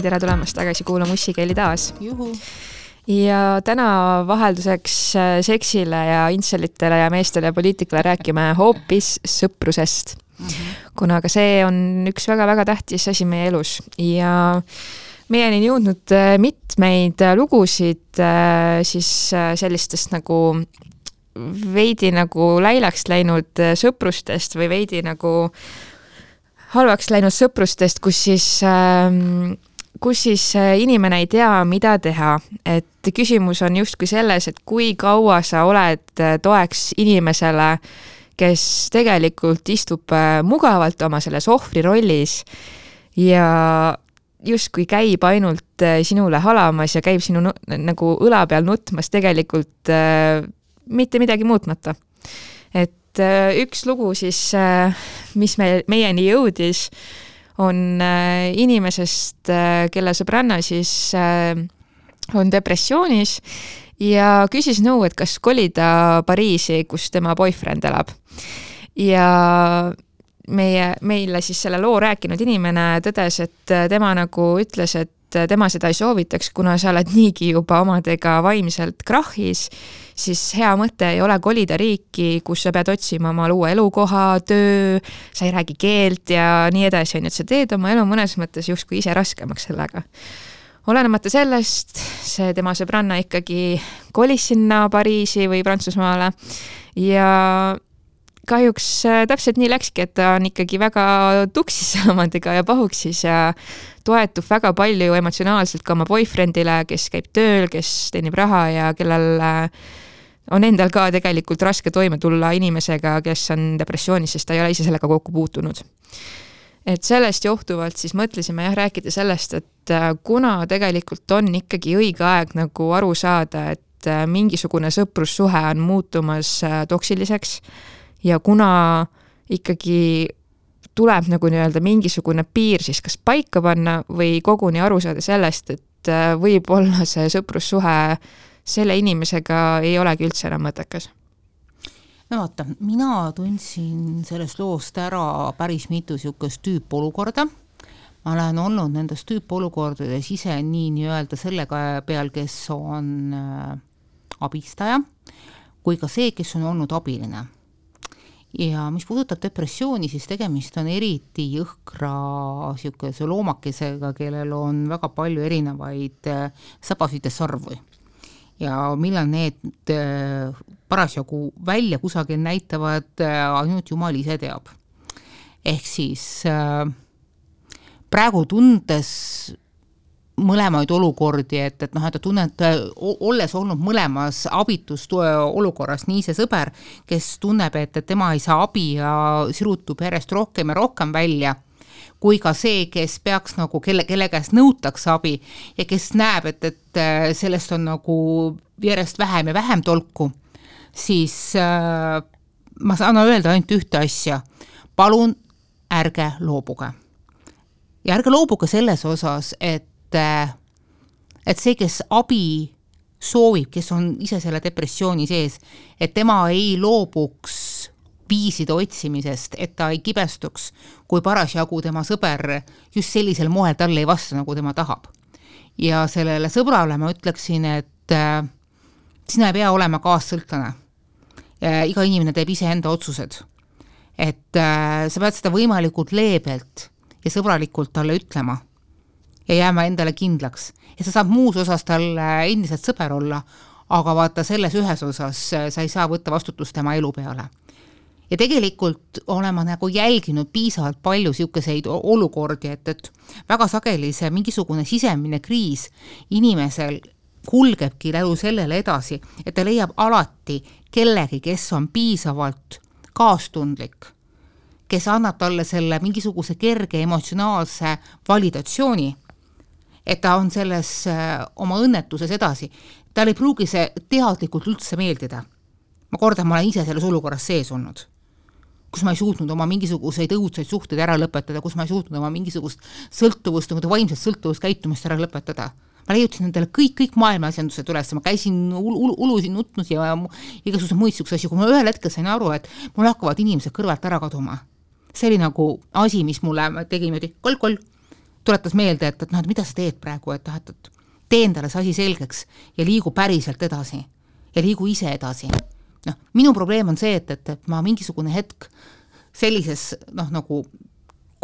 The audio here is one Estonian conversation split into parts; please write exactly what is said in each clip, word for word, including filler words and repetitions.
tere tulemast tagasi kuulama Ussikeeli taas. Juhu. Ja täna vahelduseks seksile ja intselitele ja meestele ja poliitikale rääkime hoopis sõprusest. Mm-hmm. Kuna ka see on üks väga-väga tähtis asi meie elus. Ja meieni on jõudnud mitmeid lugusid siis sellistest nagu veidi nagu läilaks läinud sõprustest või veidi nagu halvaks läinud sõprustest, kus siis, kus siis inimene ei tea, mida teha. Et küsimus on justkui selles, et kui kaua sa oled toeks inimesele, kes tegelikult istub mugavalt oma selles ohvri rollis ja justkui käib ainult sinule halamas ja käib sinu nagu õla peal nutmas tegelikult mitte midagi muutmata. Et üks lugu siis, mis me, meieni jõudis, on inimesest, kelle sõbranna siis on depressioonis ja küsis nõu, et kas kolida Pariisi, kus tema boyfriend elab. Ja meie, meile siis selle loo rääkinud inimene tõdes, et tema nagu ütles, et tema seda ei soovitaks, kuna sa oled niigi juba omadega vaimselt krahhis, siis hea mõte ei ole kolida riiki, kus sa pead otsima oma uue elukoha, töö, sa ei räägi keelt ja nii edasi. Et sa teed oma elu mõnes mõttes justkui ise raskemaks sellega. Olenemata sellest, see tema sõbranna ikkagi kolis sinna Pariisi või Prantsusmaale ja kahjuks täpselt nii läkski, et ta on ikkagi väga tuksis omadega ja pahuksis ja toetub väga palju emotsionaalselt ka oma boyfriendile, kes käib tööl, kes teenib raha ja kellel on endal ka tegelikult raske toime tulla inimesega, kes on depressioonis, sest ta ei ole ise sellega kokku puutunud. Et sellest johtuvalt siis mõtlesime jah rääkida sellest, et kuna tegelikult on ikkagi õige aeg nagu aru saada, et mingisugune sõprussuhe on muutumas toksiliseks ja kuna ikkagi tuleb nagu nii-öelda mingisugune piir siis kas paika panna või koguni aru saada sellest, et võib olla see sõprussuhe selle inimesega ei olegi üldse enam mõttekas. No vaata, mina tundsin sellest loost ära päris mitu siukest tüüpolukorda. Ma olen olnud nendes tüüpolukordades ise nii nii-öelda sellega peal, kes on abistaja, kui ka see, kes on olnud abiline. Ja mis puudutab depressiooni, siis tegemist on eriti jõhkra siukese loomakesega, kellel on väga palju erinevaid sabasid ja sarvu. Ja millal need parasjagu välja kusagil näitavad, ainult Jumal ise teab. Ehk siis praegu tundes mõlemaid olukordi, et, et, noh, et tunnet, olles olnud mõlemas abitust olukorras, nii see sõber, kes tunneb, et, et tema ei saa abi ja sirutub järjest rohkem ja rohkem välja, kui ka see, kes peaks nagu, kelle, kelle käest nõutakse abi ja kes näeb, et, et sellest on nagu järjest vähem ja vähem tolku, siis äh, ma saan öelda ainult ühte asja. Palun ärge loobuge. Ja ärge loobuge selles osas, et et see, kes abi soovib, kes on ise selle depressiooni sees, et tema ei loobuks viiside otsimisest, et ta ei kibestuks, kui parasjagu tema sõber just sellisel moel talle ei vasta, nagu tema tahab. Ja sellele sõbrale ma ütleksin, et äh, sina ei pea olema kaassõltlane. Iga inimene teeb ise enda otsused. Et äh, sa pead seda võimalikult leebelt ja sõbralikult talle ütlema ja jääma endale kindlaks. Ja sa saab muus osas tal endiselt sõber olla, aga vaata selles ühes osas sa ei saa võtta vastutust tema elu peale. Ja tegelikult olen ma nagu jälginud piisavalt palju siukeseid olukordi, et, et väga sageli see mingisugune sisemine kriis inimesel kulgebki lälu sellele edasi, et ta leiab alati kellegi, kes on piisavalt kaastundlik, kes annab talle selle mingisuguse kerge emotsionaalse validatsiooni, et ta on selles oma õnnetuses edasi. Tal ei pruugi see teadlikult üldse meeldida. Ma kordan, ma olen ise selles olukorras sees olnud, kus ma ei suutnud oma mingisuguseid õudseid suhteid ära lõpetada, kus ma ei suutnud oma mingisugust sõltuvust, vaimset sõltuvust käitumist ära lõpetada. Ma leiutasin endale kõik, kõik maailma asjandused üles, ma käisin ul, ul, ulusin nutnud ja igasugused muid siukse asju, kui ma ühel hetkel sain aru, et mul hakkavad inimesed kõrvalt ära kaduma. See oli nagu asi, mis mulle tegi niimoodi kol-kol tuletas meelde, et, et, noh, et mida sa teed praegu, et, et, et tee endale see asi selgeks ja liigu päriselt edasi ja liigu ise edasi. Noh, minu probleem on see, et, et, et ma mingisugune hetk sellises noh, nagu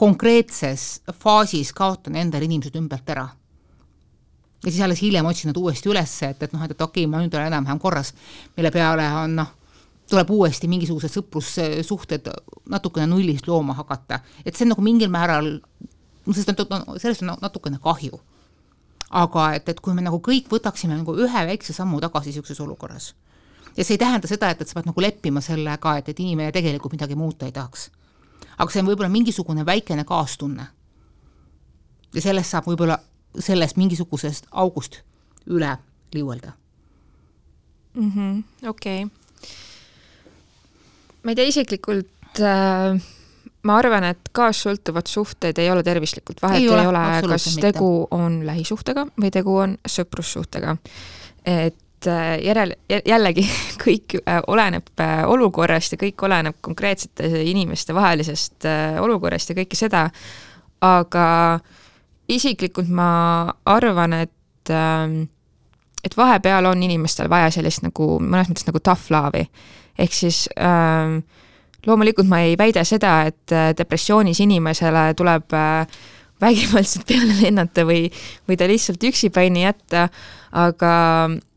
konkreetses faasis kaotan endal inimesed ümbert ära. Ja siis alles hiljem otsin nad uuesti ülesse, et, et, noh, et, et okei, ma nüüd olen enam-vähem korras, mille peale on, noh, tuleb uuesti mingisugused sõprussuhted natukene nullist looma hakata. Et see on nagu mingil määral, sellest on, sellest on natukene kahju. Aga et, et kui me nagu kõik võtaksime nagu ühe väikse sammu tagasi siukses olukorras. Ja see ei tähenda seda, et, et sa pead nagu leppima sellega, et, et inimene tegelikult midagi muuta ei tahaks. Aga see on võib-olla mingisugune väikene kaastunne. Ja sellest saab võib-olla sellest mingisugusest august üle liuelda. Mm-hmm, okei. Okay. Ma ei tea isiklikult, äh, ma arvan, et kaassõltuvad suhted ei ole tervislikult. Vahet ei, ei ole, ole kas tegu mitte. On lähisuhtega või tegu on sõprussuhtega. Et äh, järel, jällegi kõik äh, oleneb äh, olukorrast ja kõik oleneb konkreetsete inimeste vahelisest äh, olukorrast ja kõike seda. Aga isiklikult ma arvan, et, et vahepeal on inimestel vaja sellist nagu, mõnes mõttes nagu tough love'i. Ehk siis äh, loomulikult ma ei väida seda, et depressioonis inimesele tuleb äh, vägivaldselt peale lennata või, või ta lihtsalt üksipäini jätta, aga,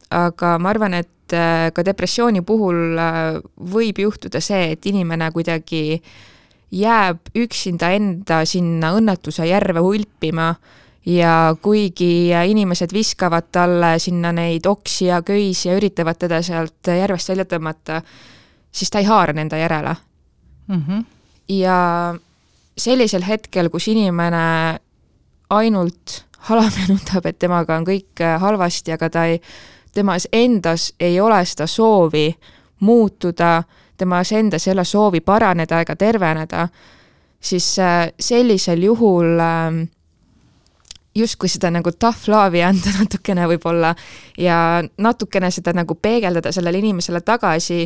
aga ma arvan, et äh, ka depressiooni puhul äh, võib juhtuda see, et inimene kuidagi jääb üksinda enda sinna õnnetuse järve hulpima ja kuigi inimesed viskavad talle sinna neid oksi ja köisi ja üritavad teda sealt järvest välja tõmmata, siis ta ei haara nenda järele. Mm-hmm. Ja sellisel hetkel, kus inimene ainult halamenutab, et temaga on kõik halvasti, aga ta ei, temas endas ei ole seda soovi muutuda, temas endas ei ole soovi paraneda ega terveneda, siis sellisel juhul justkui seda nagu tough love'i anda natukene võib-olla ja natukene seda nagu peegeldada sellele inimesele tagasi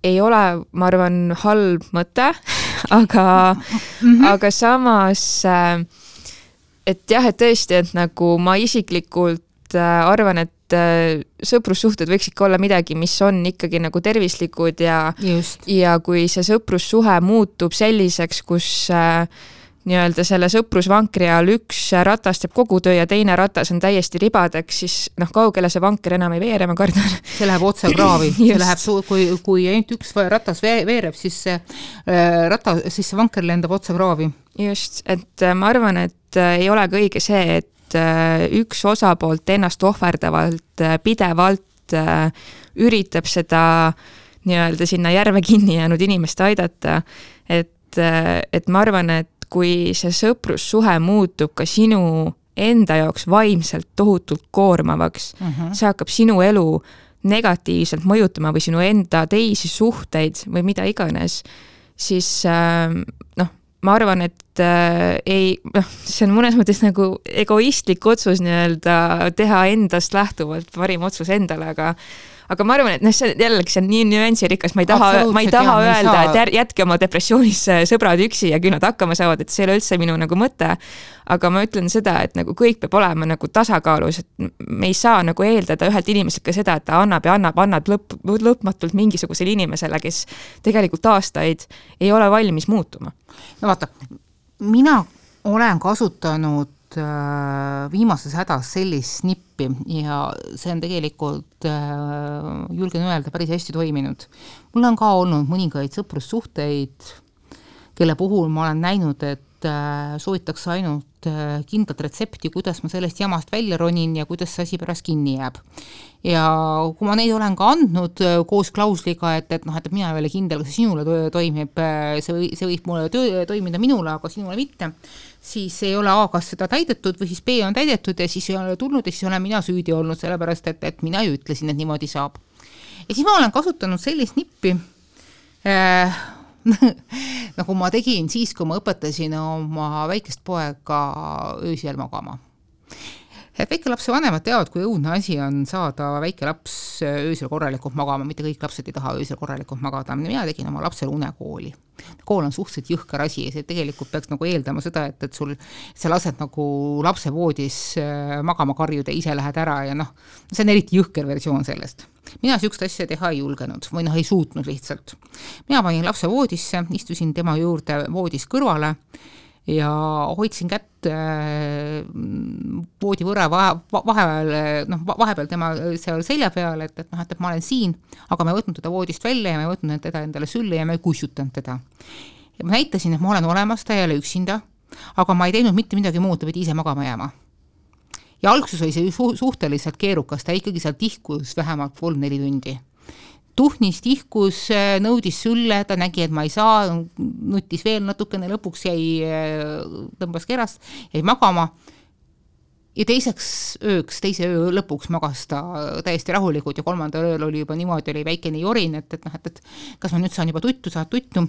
ei ole, ma arvan, halb mõte, aga, mm-hmm. aga samas, et jah, et tõesti, et nagu ma isiklikult arvan, et sõprussuhted võiks ikka olla midagi, mis on ikkagi nagu tervislikud ja, ja kui see sõprussuhe muutub selliseks, kus äh, nii-öelda selle sõprusvankri all üks ratas teeb kogu töö ja teine ratas on täiesti ribadeks, siis noh, kaugele see vanker enam ei veere, ma kardan. See läheb otse kraavi. See läheb, kui, kui ainult üks ratas veereb, siis see, rata, siis see vanker lendab otse kraavi. Just, et ma arvan, et ei ole ka õige see, et üks osapoolt ennast ohverdavalt pidevalt üritab seda nii-öelda sinna järve kinni jäänud inimest aidata, et, et ma arvan, et kui see sõprussuhe muutub ka sinu enda jaoks vaimselt tohutult koormavaks, uh-huh. see hakkab sinu elu negatiivselt mõjutama või sinu enda teisi suhteid või mida iganes, siis noh, ma arvan, et äh, ei, noh, see on mõnes mõttes nagu egoistlik otsus nii-öelda teha endast lähtuvalt parim otsus endale, aga aga ma arvan, et noh, see jällegi see on nii nüansirikas, ma ei taha, ma ei taha jah, öelda, saa... et jätke oma depressioonis sõbrad üksi ja küll nad hakkama saavad, et see ei ole üldse minu nagu mõte, aga ma ütlen seda, et nagu kõik peab olema nagu tasakaalus, et me ei saa nagu eeldada ühelt inimeselt ka seda, et ta annab ja annab, annab lõpp, lõpmatult mingisugusele inimesele, kes tegelikult aastaid ei ole valmis muutuma. No vaata, mina olen kasutanud viimases hädas sellist snippi ja see on tegelikult, julgen öelda, päris hästi toiminud. Mul on ka olnud mõningaid sõprussuhteid, kelle puhul ma olen näinud, et soovitakse ainult kindlat retsepti, kuidas ma sellest jamast välja ronin ja kuidas see asi pärast kinni jääb. Ja kui ma neid olen ka andnud koos klausliga, et, et, noh, et mina ei ole kindel, kas sinule toimib, see, see võib mulle töö, toimida minule, aga sinule mitte, siis ei ole A, kas seda täidetud või siis B on täidetud ja siis ei ole tulnud ja siis olen mina süüdi olnud, sellepärast, et, et mina ju ütlesin, et niimoodi saab. Ja siis ma olen kasutanud sellist nippi, äh, nagu ma tegin siis, kui ma õpetasin oma väikest poega öösel magama. et väike lapse vanemad teavad, kui õudne asi on saada väike laps öösel korralikult magama, mitte kõik lapsed ei taha öösel korralikult magada. Mina tegin oma lapsele unekooli. Kool on suhteliselt jõhkar asi ja see tegelikult peaks nagu eeldama seda, et, et sul sa lased nagu lapse voodis magama karjuda, ise lähed ära ja noh, see on eriti jõhker versioon sellest. Mina sükst asja teha ei julgenud või noh, ei suutnud lihtsalt. Mina panin lapse voodisse, istusin tema juurde voodis kõrvale ja hoidsin kätt voodi võrra vahepeal, noh, vahepeal tema seal selja peal, et, et, noh, et ma olen siin, aga ma ei võtnud teda voodist välja ja ma ei võtnud teda endale sülle ja ma ei kussutanud teda. Ja ma näitasin, et ma olen olemas, ta ei ole üksinda, aga ma ei teinud mitte midagi muud, ta pidi ise magama jääma. Ja alguses oli see su- suhteliselt keerukas, ta ikkagi seal tihkus vähemalt kolm-neli tundi. Tuhnis, tihkus, nõudis sülle, ta nägi, et ma ei saa, nutis veel natukene, lõpuks jäi, tõmbas kerast, jäi magama. Ja teiseks ööks, teise öö lõpuks magas ta täiesti rahulikult ja kolmandal ööl oli juba niimoodi, oli väikene jorin, et, et, noh, et, et kas ma nüüd saan juba tuttu, saad tuttu.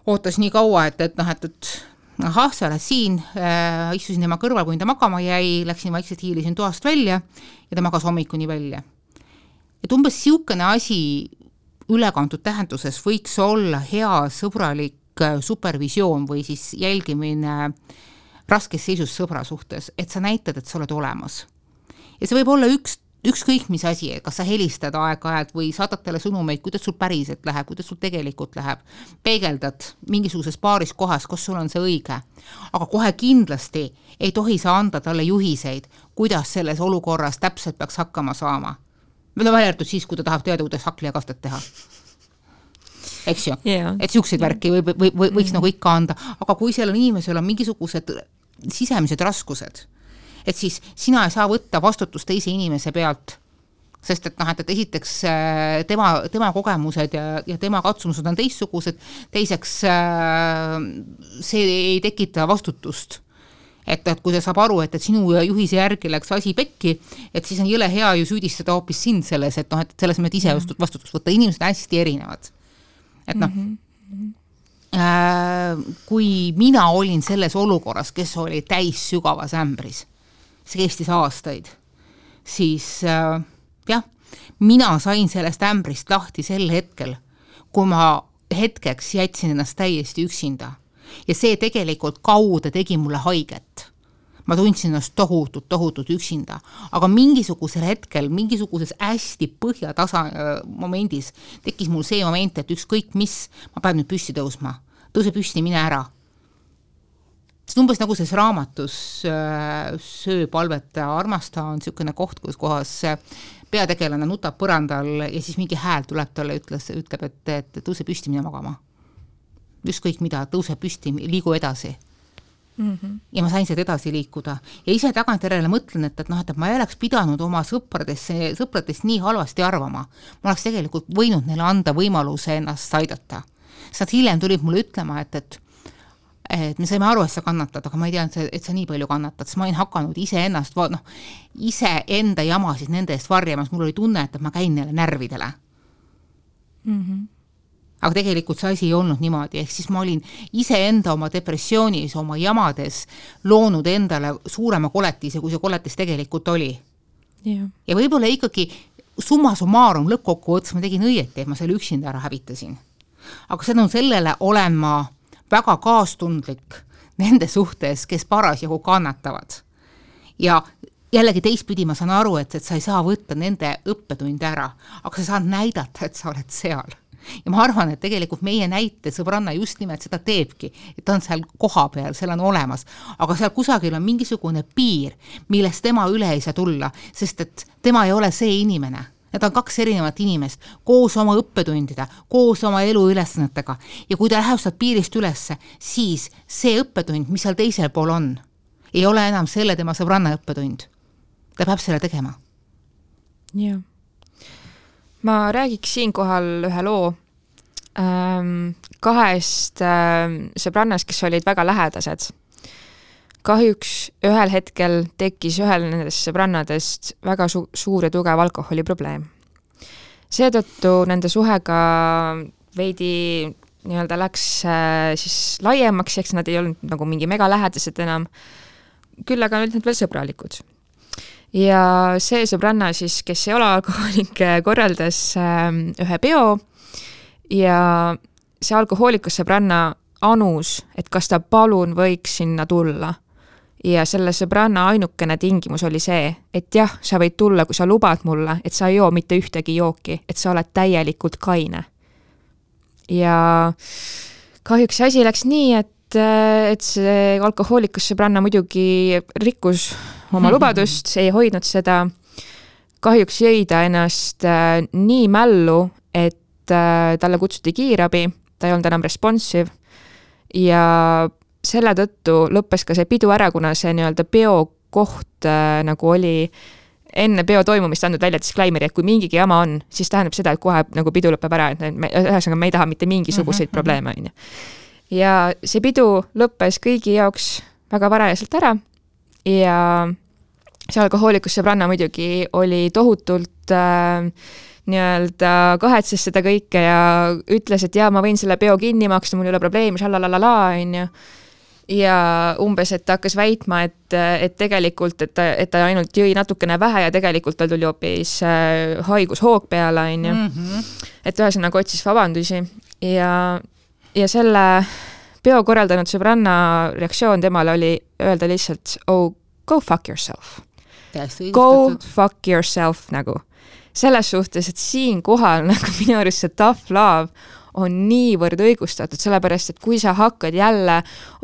Ootas nii kaua, et, et, noh, et, et ahah, sa oled siin, äh, istusin tema kõrval, kui ta magama jäi, läksin vaikselt hiilisin toast välja ja ta magas hommikuni välja. Et umbes siukene asi ülekantud tähenduses võiks olla hea sõbralik supervisioon või siis jälgimine raskes seisus sõbra suhtes, et sa näitad, et sa oled olemas. Ja see võib olla üks, ükskõik mis asi, kas sa helistad aeg-ajalt või saadad talle sõnumeid, kuidas sul päriselt läheb, kuidas sul tegelikult läheb, peegeldad mingisuguses paaris kohas, kus sul on see õige. Aga kohe kindlasti ei tohi sa anda talle juhiseid, kuidas selles olukorras täpselt peaks hakkama saama. Meil on väljartud siis, kui ta tahab teada, kuidas hakli ja kastet teha. Eks ju? Yeah. Et siukseid yeah. värki või, või, või, võiks mm. nagu ikka anda. Aga kui seal on inimesel on mingisugused sisemised raskused, et siis sina ei saa võtta vastutust teise inimese pealt, sest et, noh, et, et esiteks tema, tema kogemused ja, ja tema katsumused on teistsugused, teiseks see ei tekita vastutust. Et, et kui ta saab aru, et, et sinu juhise järgi läks asi pekki, et siis on jõle hea ju süüdistada hoopis sind selles, et, noh, et selles mõttes ise mm-hmm. vastutust võtta. Inimesed on hästi erinevad. Et noh, mm-hmm. äh, kui mina olin selles olukorras, kes oli täis sügavas ämbris, see kestis aastaid, siis äh, jah, mina sain sellest ämbrist lahti sel hetkel, kui ma hetkeks jätsin ennast täiesti üksinda. Ja see tegelikult kaude tegi mulle haiget. Ma tundsin ennast tohutut, tohutut üksinda. Aga mingisugusel hetkel, mingisuguses hästi põhjatasa momendis tekkis mul see moment, et ükskõik mis, ma pean nüüd püsti tõusma. Tõuse püsti, mine ära. See on umbes nagu selles raamatus Söö, palveta, armasta on niisugune koht, kus kohas peategelane nutab põrandal ja siis mingi hääl tuleb talle, ütles, ütleb, et, et tõuse püsti, mine magama. Ükskõik mida, tõuse püsti, liigu edasi. Mm-hmm. Ja ma sain seda edasi liikuda. Ja ise tagantjärele mõtlen, et, et, noh, et ma ei oleks pidanud oma sõpradest, sõpradest nii halvasti arvama. Ma oleks tegelikult võinud neile anda võimaluse ennast aidata. Nad hiljem tulid mulle ütlema, et, et, et me saime aru, et sa kannatad, aga ma ei tea, et sa nii palju kannatad, sest ma olin hakanud ise ennast, noh, ise enda jamasid nende eest varjamas. Mul oli tunne, et ma käin neile närvidele. Mhm. Aga tegelikult see asi ei olnud niimoodi, ehk siis ma olin ise enda oma depressioonis, oma jamades loonud endale suurema koletise, kui see koletis tegelikult oli. Yeah. Ja võib-olla ikkagi summa summarum lõppkokku ots, ma tegin õieti, et ma selle üksinda ära hävitasin. Aga seda on sellele olen ma väga kaastundlik nende suhtes, kes parasjagu kannatavad. Ja jällegi teistpidi ma saan aru, et, et sa ei saa võtta nende õppetunde ära, aga sa saad näidata, et sa oled seal. Ja ma arvan, et tegelikult meie näite sõbranna just nimelt seda teebki, et ta on seal koha peal, seal on olemas, aga seal kusagil on mingisugune piir, millest tema üle ei saa tulla, sest et tema ei ole see inimene. Need on kaks erinevat inimest, koos oma õppetundida, koos oma elu ülesannetega ja kui ta läheb sealt piirist ülesse, siis see õppetund, mis seal teisel pool on, ei ole enam selle tema sõbranna õppetund. Ta peab selle tegema. Jah. Ma räägiks siinkohal ühe loo ähm, kahest ähm, sõbrannast, kes olid väga lähedased. Kahjuks ühel hetkel tekkis ühel nendest sõbrannadest väga su- suur ja tugev alkoholiprobleem. Seetõttu nende suhega veidi nii-öelda läks äh, siis laiemaks, eks nad ei olnud nagu mingi mega lähedased enam, küll aga olid nad veel sõbralikud. ja see sõbranna siis, kes ei ole alkohoolik, korraldas ühe peo ja see alkohoolikus sõbranna anus, et kas ta palun võiks sinna tulla. Ja selle sõbranna ainukene tingimus oli see, et jah, sa võid tulla, kui sa lubad mulle, et sa ei joo mitte ühtegi jooki, et sa oled täielikult kaine. Ja kahjuks see asi läks nii, et, et see alkohoolikus sõbranna muidugi rikkus oma lubadust, ei hoidnud seda. Kahjuks jõi ta ennast nii mällu, et talle kutsuti kiirabi, ta ei olnud enam responsive ja selle tõttu lõppes ka see pidu ära, kuna see nii-öelda peo koht äh, nagu oli enne peo toimumist andnud välja disclaimeri, et kui mingigi jama on, siis tähendab seda, et kohe nagu pidu lõpeb ära, et me, ühesõnaga me ei taha mitte mingisuguseid mm-hmm. probleeme. On ju. Ja see pidu lõppes kõigi jaoks väga varajaselt ära ja see alkohoolikus sõbranna muidugi oli tohutult äh, nii-öelda kahetses seda kõike ja ütles, et jaa, ma võin selle peo kinni maksta, mul ei ole probleemi, šalalalala, on ju. Ja umbes, et ta hakkas väitma, et, et tegelikult, et ta, et ta ainult jõi natukene vähe ja tegelikult tal tuli hoopis haigushoog peale, on ju. Mm-hmm. Et ühesõnaga otsis vabandusi ja, ja selle peo korraldanud sõbranna reaktsioon temale oli öelda lihtsalt, oh, go fuck yourself. Go fuck yourself nagu. Selles suhtes, et siin kohal nagu minu arust see tough love on niivõrd õigustatud, sellepärast, et kui sa hakkad jälle,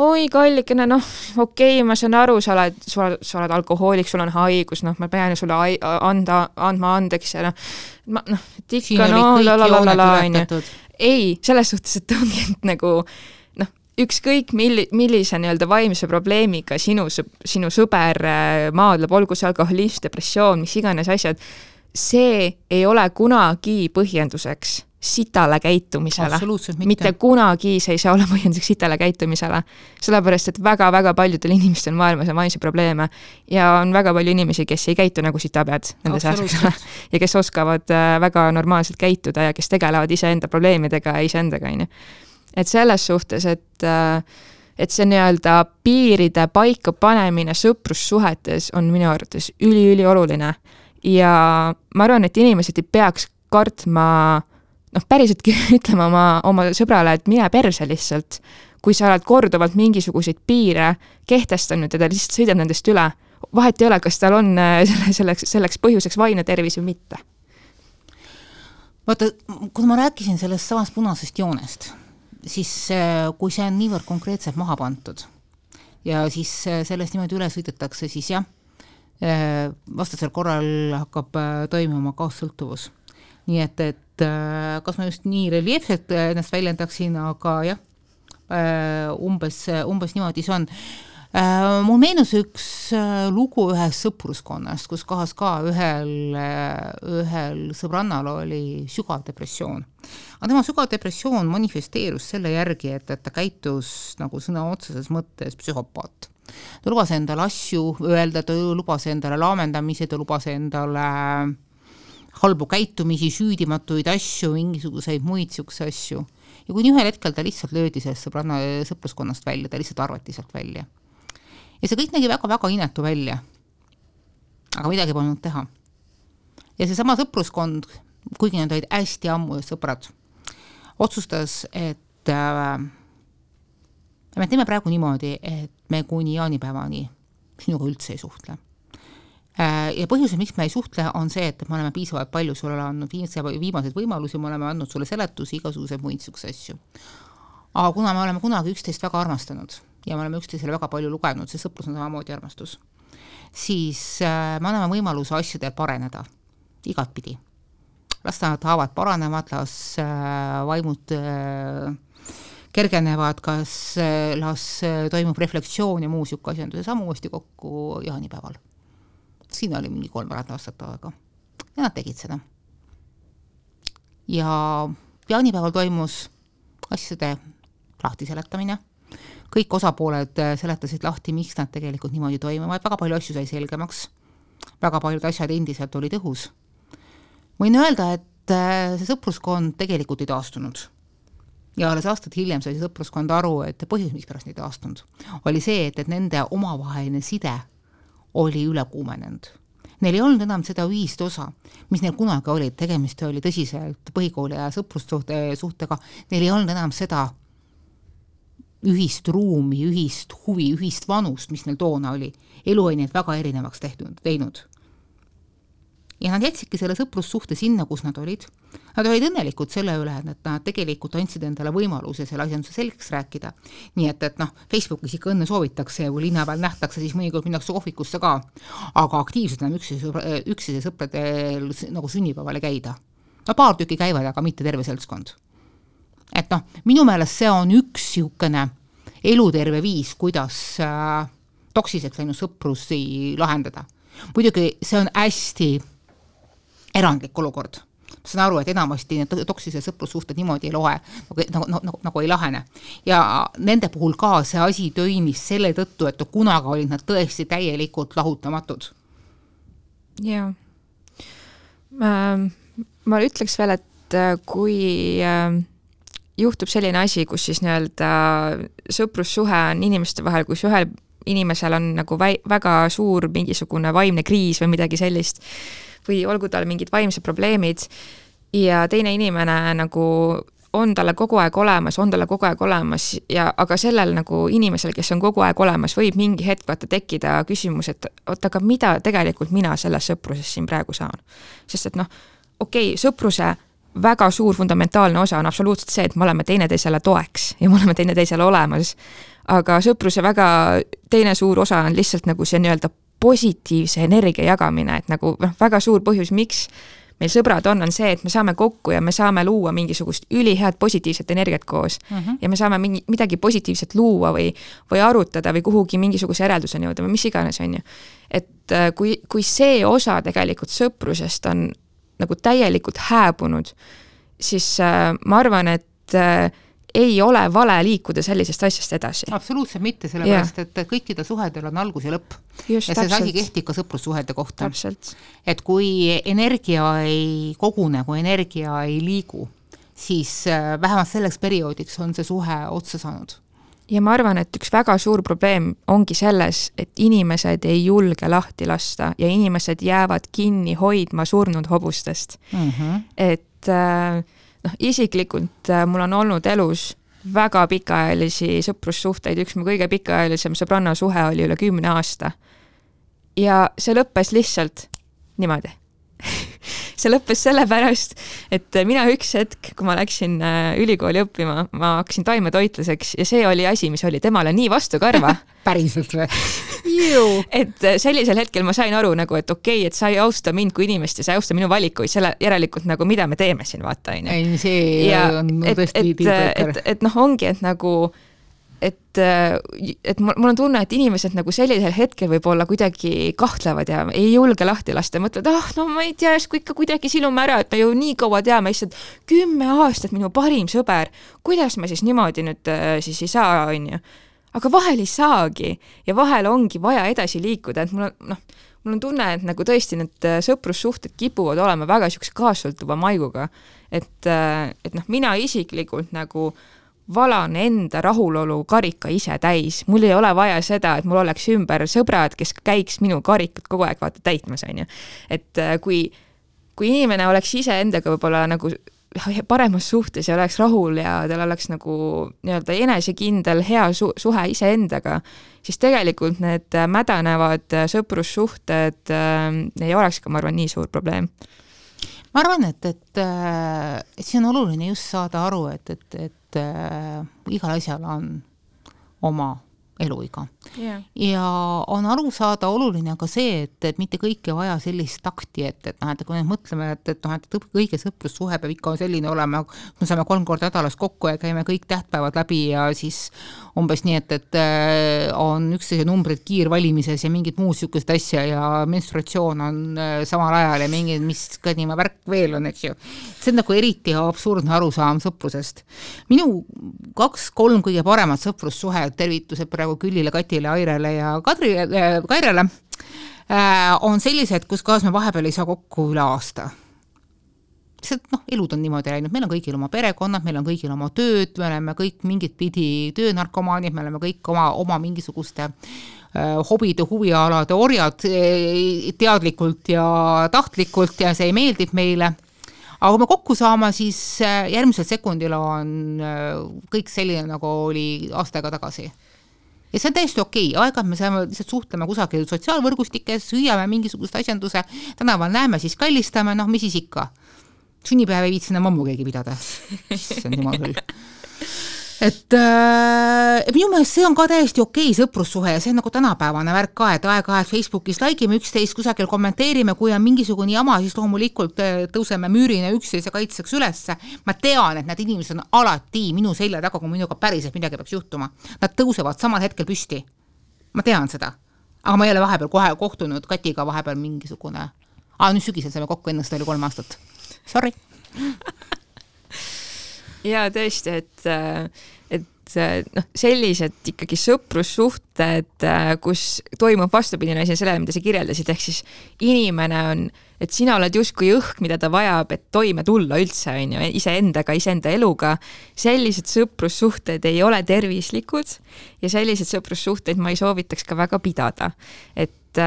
oi kallikene, noh, okei, ma saan aru, sa oled, sa oled, sa oled alkohoolik, sul on haigus, noh, ma pean sulle anda, andma andeks ja noh, noh, et ikka, no, lalalala, on ju. Ei, selles suhtes, et ongi et nagu, noh, ükskõik milli, millise nii-öelda vaimse probleemiga sinu, sinu sõber maadleb, olgu see alkoholism, depressioon, mis iganes asjad, see ei ole kunagi põhjenduseks sitale käitumisele. Mitte. mitte kunagi see ei saa olla põhjenduseks sitale käitumisele. Sellepärast, et väga-väga paljudel inimestel maailmas on vaimse probleeme ja on väga palju inimesi, kes ei käitu nagu sitapead nende seas ja kes oskavad väga normaalselt käituda ja kes tegelevad iseenda probleemidega ja iseendaga. Et selles suhtes, et, et see nii-öelda piiride paika panemine sõprussuhetes on minu arvates üli-üli oluline ja ma arvan, et inimesed ei peaks kartma noh, päriseltki ütlema oma, oma sõbrale, et mine perse lihtsalt, kui sa oled korduvalt mingisuguseid piire kehtestanud ja ta lihtsalt sõidab nendest üle. Vahet ei ole, kas tal on selleks, selleks põhjuseks vaimne tervis või mitte. Vaata, kui ma rääkisin sellest samast punasest joonest, siis kui see on niivõrd konkreetselt maha pantud ja siis sellest niimoodi üle sõidetakse, siis jah, vastasel korral hakkab toimima kaassõltuvus. Nii et, et kas ma just nii reljeefselt ennast väljendaksin, aga jah, umbes, umbes niimoodi see on. Mul meenus üks lugu ühest sõpruskonnast, kus kohas ka ühel, ühel sõbrannal oli sügav depressioon. Aga tema sügav depressioon manifesteerus selle järgi, et, et ta käitus nagu sõna otseses mõttes psühhopaat. Ta lubas endale asju öelda, ta lubas endale laamendamise, ta lubas endale halbu käitumisi, süüdimatuid asju, mingisuguseid muid siukse asju. Ja kui ühel hetkel ta lihtsalt löödi sellest sõbranna sõpruskonnast välja, ta lihtsalt arvati sealt välja. Ja see kõik nägi väga-väga inetu välja. Aga midagi polnud teha. Ja see sama sõpruskond, kuigi need olid hästi ammu sõbrad, otsustas, et äh, me teeme praegu niimoodi, et me kuni jaanipäevani sinuga üldse ei suhtle. Ja põhjus, miks me ei suhtle, on see, et me oleme piisavalt palju sulle andnud viimaseid võimalusi, me oleme andnud sulle seletusi, igasuguseid muid siukse asju. Aga kuna me oleme kunagi üksteist väga armastanud ja me oleme üksteisele väga palju lugenud, see sõprus on samamoodi armastus, siis me anname võimaluse asjadel pareneda igatpidi. Las nad haavad paranevad, las vaimud kergenevad, kas las toimub reflektsioon ja muu siuke asjanduse samu uuesti kokku jaanipäeval. Siin oli mingi kolm aastat aega. Ja nad tegid seda. Ja jaanipäeval toimus asjade lahti seletamine. Kõik osapooled seletasid lahti, miks nad tegelikult niimoodi toimuvad. Väga palju asju sai selgemaks. Väga paljud asjad endiselt olid õhus. Võin öelda, et see sõpruskond tegelikult ei taastunud. Ja alles aastat hiljem sai see sõpruskond aru, et põhjus, miks pärast ei taastunud, oli see, et, et nende omavaheline side oli üle kuumenenud. Neil ei olnud enam seda ühist osa, mis neil kunagi oli, tegemist oli tõsiselt põhikooli ja sõprussuhte suhtega, neil ei olnud enam seda ühist ruumi, ühist huvi, ühist vanust, mis neil toona oli. Elu oli neid väga erinevaks tehtud, teinud. Ja nad jätsidki selle sõprussuhte sinna, kus nad olid. Nad olid õnnelikud selle üle, et nad tegelikult andsid endale võimaluse selle asjanduse selgeks rääkida. Nii et, et noh, Facebookis ikka õnne soovitakse ja kui linna peal nähtakse, siis mõnikord minnakse kohvikusse ka. Aga aktiivselt enam üksteise sõpradel nagu sünnipäevale käida. No paar tükki käivad, aga mitte terve seltskond. Et noh, minu meelest see on üks siukene eluterve viis, kuidas äh, toksiseks läinud sõprusi lahendada. Muidugi see on hästi erandlik olukord. Ma saan aru, et enamasti need toksise sõprussuhted niimoodi ei loe, nagu, nagu, nagu, nagu ei lahene. Ja nende puhul ka see asi tööimis selle tõttu, et kunaga olid nad tõesti täielikult lahutamatud. Jaa. Ma, ma ütleks veel, et kui juhtub selline asi, kus siis nii-öelda sõprussuhe on inimeste vahel, kus ühel inimesel on nagu väi, väga suur mingisugune vaimne kriis või midagi sellist, või olgu tal mingid vaimsed probleemid ja teine inimene nagu on talle kogu aeg olemas, on talle kogu aeg olemas, ja, aga sellel nagu inimesel, kes on kogu aeg olemas, võib mingi hetk vaata tekkida küsimus, et oot, aga mida tegelikult mina selles sõpruses siin praegu saan? Sest et noh, okei, okay, sõpruse väga suur fundamentaalne osa on absoluutselt see, et me oleme teineteisele toeks ja me oleme teineteisele olemas, aga sõpruse väga teine suur osa on lihtsalt nagu see nii-öelda positiivse energia jagamine, et nagu väga suur põhjus, miks meil sõbrad on, on see, et me saame kokku ja me saame luua mingisugust ülihead positiivset energiat koos uh-huh. ja me saame mingi, midagi positiivset luua või, või arutada või kuhugi mingisuguse järelduseni jõuda või mis iganes on ju. Et kui, kui see osa tegelikult sõprusest on nagu täielikult hääbunud, siis äh, ma arvan, et äh, ei ole vale liikuda sellisest asjast edasi. Absoluutselt mitte, sellepärast, yeah. et kõikide suhedel on algus ja lõpp. Just, ja see asi kehtib ka sõprussuhete kohta. Täpselt. Et kui energia ei kogune, kui energia ei liigu, siis vähemalt selleks perioodiks on see suhe otsa saanud. Ja ma arvan, et üks väga suur probleem ongi selles, et inimesed ei julge lahti lasta ja inimesed jäävad kinni hoidma surnud hobustest. Mm-hmm. Et äh, noh, isiklikult mul on olnud elus väga pikaajalisi sõprussuhteid, üks mu kõige pikaajalisem sõbranna suhe oli üle kümne aasta. Ja see lõppes lihtsalt niimoodi. See lõppes sellepärast, et mina üks hetk, kui ma läksin ülikooli õppima, ma hakkasin taimetoitluseks ja see oli asi, mis oli temale nii vastu karva. Päriselt või? Et sellisel hetkel ma sain aru, nagu, et okei, okay, et sa ei austa mind kui inimest ja sa ei austa minu valikuid, selle järelikult, nagu, mida me teeme siin, vaata. Ei, see ja on et, tõesti et, et, et noh, ongi, et nagu et, et mul on tunne, et inimesed nagu sellisel hetkel võib olla kuidagi kahtlevad ja ei julge lahti lasta ja mõtlevad, ah, no ma ei tea, kui ikka kuidagi silume ära, et me ju nii kaua teame, lihtsalt kümme aastat minu parim sõber, kuidas ma siis niimoodi nüüd siis ei saa, on ju. Aga vahel ei saagi ja vahel ongi vaja edasi liikuda, et mul on, noh, mul on tunne, et nagu tõesti need sõprussuhted kipuvad olema väga siukse kaassõltuva maiguga, et, et noh, mina isiklikult nagu valan enda rahulolu karika ise täis. Mul ei ole vaja seda, et mul oleks ümber sõbrad, kes käiks minu karikut kogu aeg vaata täitmas, on ju. Et kui, kui inimene oleks ise endaga võib-olla nagu paremas suhtes ja oleks rahul ja tal oleks nagu nii-öelda enesekindel hea su- suhe ise endaga, siis tegelikult need mädanevad sõprussuhted äh, ei oleks ka, ma arvan, nii suur probleem. Ma arvan, et, et, et see on oluline just saada aru, et, et, et äh, igal asjal on oma eluiga. Yeah. Ja on aru saada oluline ka see, et, et mitte kõike vaja sellist takti, et, et, noh, et kui me mõtleme, et, et, noh, et kõige sõprussuhe peab ikka selline olema, me saame kolm korda nädalas kokku ja käime kõik tähtpäevad läbi ja siis umbes nii, et, et on üksteise numbrid kiirvalimises ja mingid muud sükest asja ja menstruatsioon on samal ajal ja mingid, mis kõnima värk veel on, eks ju. See on nagu eriti absurdne arusaam sõprusest. Minu kaks-kolm kõige paremat sõprussuhe, tervitused praegu Küllile, Katile, Airele ja Kadri, äh, Kairele äh, on sellised, kus kaas me vahepeal ei saa kokku üle aasta. See, noh, elud on niimoodi läinud, meil on kõigil oma perekonnad, meil on kõigil oma tööd, me oleme kõik mingit pidi töönarkomaanid, me oleme kõik oma, oma mingisuguste hobide, huvialade orjad teadlikult ja tahtlikult ja see meeldib meile. Aga kui me kokku saama, siis järgmisel sekundil on kõik selline, nagu oli aastaga tagasi. Ja see on täiesti okei, aeg-ajalt me saame lihtsalt suhtlema kusagil sotsiaalvõrgustikes, hüüame mingisugust asjanduse, tänaval näeme, siis kallistame, noh, mis siis ikka. Sünnipäev ei viitsina mammu keegi pidada. See on jumal küll. Et äh, minu meelest see on ka täiesti okei sõprussuhe ja see on nagu tänapäevane värk ka, et aeg-ajalt Facebookis laigime üksteist, kusagil kommenteerime, kui on mingisugune jama, siis loomulikult tõuseme müürina üksteise kaitseks ülesse. Ma tean, et need inimesed on alati minu selja taga, kui minuga päriselt midagi peaks juhtuma. Nad tõusevad samal hetkel püsti. Ma tean seda. Aga ma ei ole vahepeal kohe kohtunud Katiga vahepeal mingisugune. Aa, nüüd sügisel saime kokku, ennast oli kolm aastat. Sorry. Ja tõesti, et, et noh, sellised ikkagi sõprussuhted, kus toimub vastupidine asi sellele, mida sa kirjeldasid, ehk siis inimene on, et sina oled justkui õhk, mida ta vajab, et toime tulla üldse, on ju, iseendaga, iseenda eluga. Sellised sõprussuhted ei ole tervislikud ja sellised sõprussuhted ma ei soovitaks ka väga pidada. Et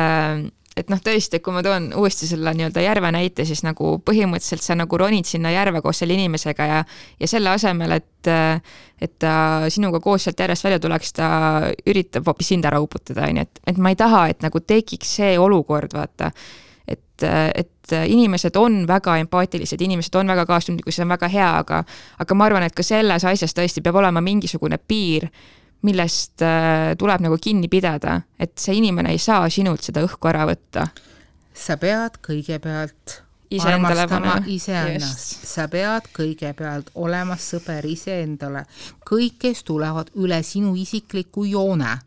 et noh, tõesti, kui ma toon uuesti selle nii-öelda järve näite, siis nagu põhimõtteliselt sa nagu ronid sinna järve koos selle inimesega ja, ja selle asemel, et, et ta sinuga koos sealt järjest välja tuleks, ta üritab hoopis sind ära uputada, et, et ma ei taha, et nagu tekiks see olukord, vaata, et, et inimesed on väga empaatilised, inimesed on väga kaastundlikud, see on väga hea, aga, aga ma arvan, et ka selles asjas tõesti peab olema mingisugune piir, millest tuleb nagu kinni pidada, et see inimene ei saa sinult seda õhku ära võtta. Sa pead kõigepealt ise armastama iseennast. Sa pead kõigepealt olema sõber iseendale. Kõik, kes tulevad üle sinu isikliku joone,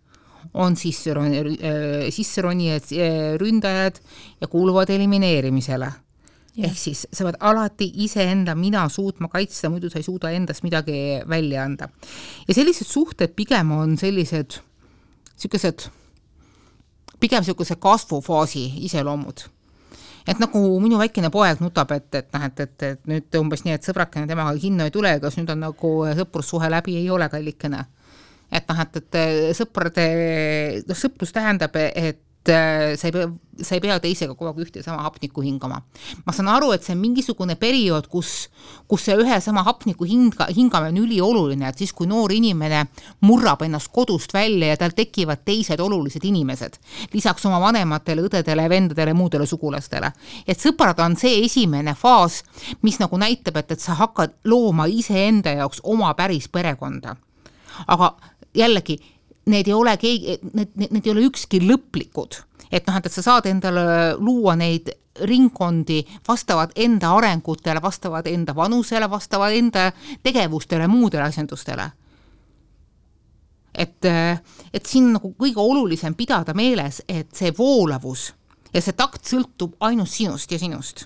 on sisseronijad, ründajad ja kuuluvad elimineerimisele. Ja. Ehk siis sa pead alati iseenda mina suutma kaitsta, muidu sa ei suuda endast midagi välja anda. Ja sellised suhted pigem on sellised sellised, pigem sellised kasvufaasi iseloomud. Et nagu minu väikene poeg nutab, et, et, et, et, et nüüd umbes nii, et sõbrakene temaga hinno ei tule, kas nüüd on nagu sõprussuhe läbi ei ole kallikene. Et, noh, et, et sõprade, no, sõprus tähendab, et sa ei, pea, sa ei pea teisega kogu aeg ühte sama hapniku hingama. Ma saan aru, et see on mingisugune periood, kus, kus see ühe sama hapniku hinga, hingame on üli oluline, et siis kui noor inimene murrab ennast kodust välja ja tal tekivad teised olulised inimesed, lisaks oma vanematele, õdedele, vendadele, muudele sugulastele. Et sõprad on see esimene faas, mis nagu näitab, et, et sa hakkad looma iseenda jaoks oma päris perekonda. Aga jällegi, need ei ole, keegi, need, need ei ole ükski lõplikud. Et, noh, et sa saad endale luua neid ringkondi, vastavad enda arengutele, vastavad enda vanusele, vastavad enda tegevustele, muudele asjandustele. Et, et siin nagu kõige olulisem pidada meeles, et see voolavus ja see takt sõltub ainult sinust ja sinust.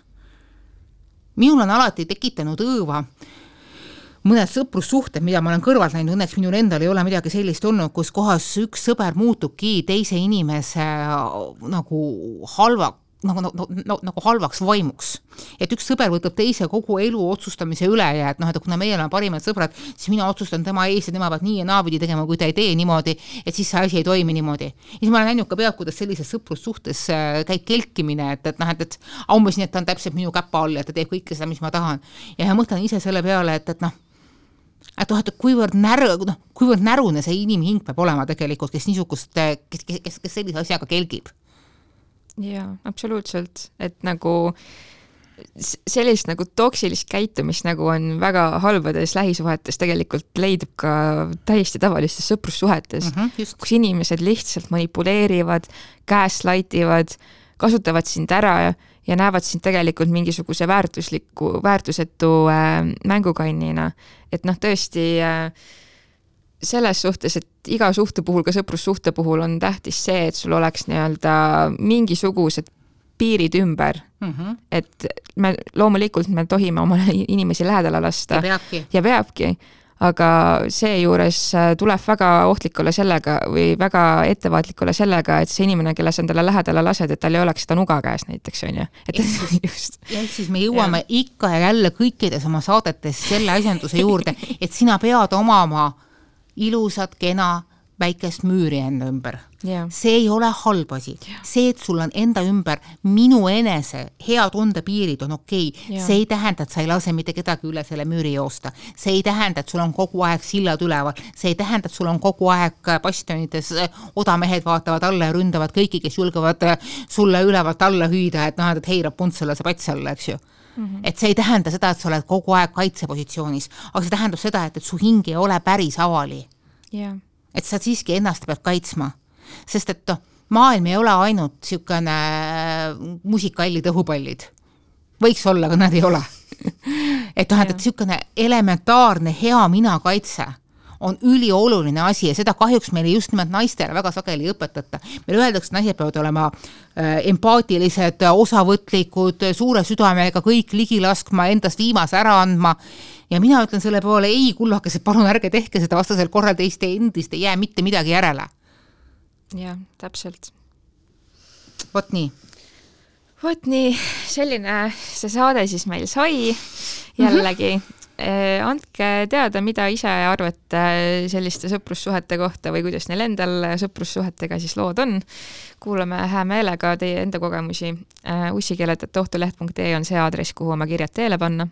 Minul on alati tekitanud õõva mõned sõprussuhted, mida ma olen kõrvalt näinud, õnneks minul endal ei ole midagi sellist olnud, kus kohas üks sõber muutubki teise inimese nagu halva, nagu, nagu, nagu halvaks vaimuks. Et üks sõber võtab teise kogu elu otsustamise üle ja et, noh, et kuna meil on parimad sõbrad, siis mina otsustan tema ees ja tema peab nii ja naavidi tegema, kui ta ei tee niimoodi, et siis see asi ei toimi niimoodi. Ja siis ma olen näinud ka peab, kuidas sellises sõprussuhtes käib kelkimine, et, et, noh, et, et umbes nii, et ta on täpselt minu käpa all ja ta teeb kõike seda, mis ma tahan. Ja ma mõtlen ise selle peale, et, et noh, et, et kuivõrd, näru, noh, kuivõrd närune see inimhing peab olema tegelikult, kes niisugust, kes, kes, kes sellise asjaga kelgib. Jaa, absoluutselt. Et nagu sellist nagu toksilist käitumist nagu on väga halbades lähisuhetes tegelikult leidub ka täiesti tavalistes sõprussuhetes, mm-hmm, kus inimesed lihtsalt manipuleerivad, käeslaitivad, kasutavad sind ära ja ja näevad sind tegelikult mingisuguse väärtusliku, väärtusetu äh, mängukannina. Et noh, tõesti äh, selles suhtes, et iga suhte puhul, ka sõprussuhte puhul on tähtis see, et sul oleks nii-öelda mingisugused piirid ümber. Mm-hmm. Et me loomulikult me tohime oma inimesi lähedale lasta. Ja peabki. Ja peabki. Aga see juures tuleb väga ohtlik olla sellega või väga ettevaatlik olla sellega, et see inimene, kelle sa endale lähedale lased, et tal ei oleks seda nuga käes näiteks, on ju. Et just. Ja siis me jõuame ja. ikka ja jälle kõikides oma saadetes selle asjanduse juurde, et sina pead omama ilusat, kena, väikest müüri enda ümber. Yeah. See ei ole halb asi. Yeah. See, et sul on enda ümber minu enese hea tunde piirid on okei. Okay. Yeah. See ei tähenda, et sa ei lase mitte kedagi üle selle müüri joosta. See ei tähenda, et sul on kogu aeg sillad üleval. See ei tähenda, et sul on kogu aeg bastionides odamehed vaatavad alla ja ründavad kõiki, kes julgevad sulle ülevalt alla hüüda, et noh, et heirab puntsale see pats alla, eks ju. Mm-hmm. Et see ei tähenda seda, et sa oled kogu aeg kaitsepositsioonis, aga see tähendab seda, et, et su hing ei ole päris avali. Yeah. Et sa siiski ennast pead kaitsma. Sest et maailm ei ole ainult siukene musikallid õhupallid. Võiks olla, aga nad ei ole. et noh, et siukene elementaarne hea mina kaitse on ülioluline asi ja seda kahjuks meile just nimelt naistele väga sageli õpetata. Meil öeldakse, et naised peavad olema empaatilised, osavõtlikud, suure südamega kõik ligi laskma, endast viimase ära andma. Ja mina ütlen selle poole, ei kullakesed, palun ärge tehke seda vastasel korral teiste endist ei jää mitte midagi järele. Jah, täpselt. Vot nii. Vot nii, selline see saade siis meil sai jällegi. Mm-hmm. Andke teada, mida ise arvate selliste sõprussuhete kohta või kuidas neil endal sõprussuhetega siis lood on. Kuulame hää meelega teie enda kogemusi. ussikeeled at ohtuleht punkt ee on see aadress, kuhu oma kirjad teele panna.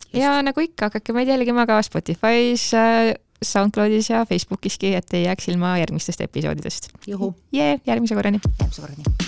Just. Ja nagu ikka, hakake meid jälgima ka Spotify's, SoundCloudis ja Facebookiski, et ei jääks ilma järgmistest episoodidest. Juhu. Jee, järgmise korrani. Järgmise korrani.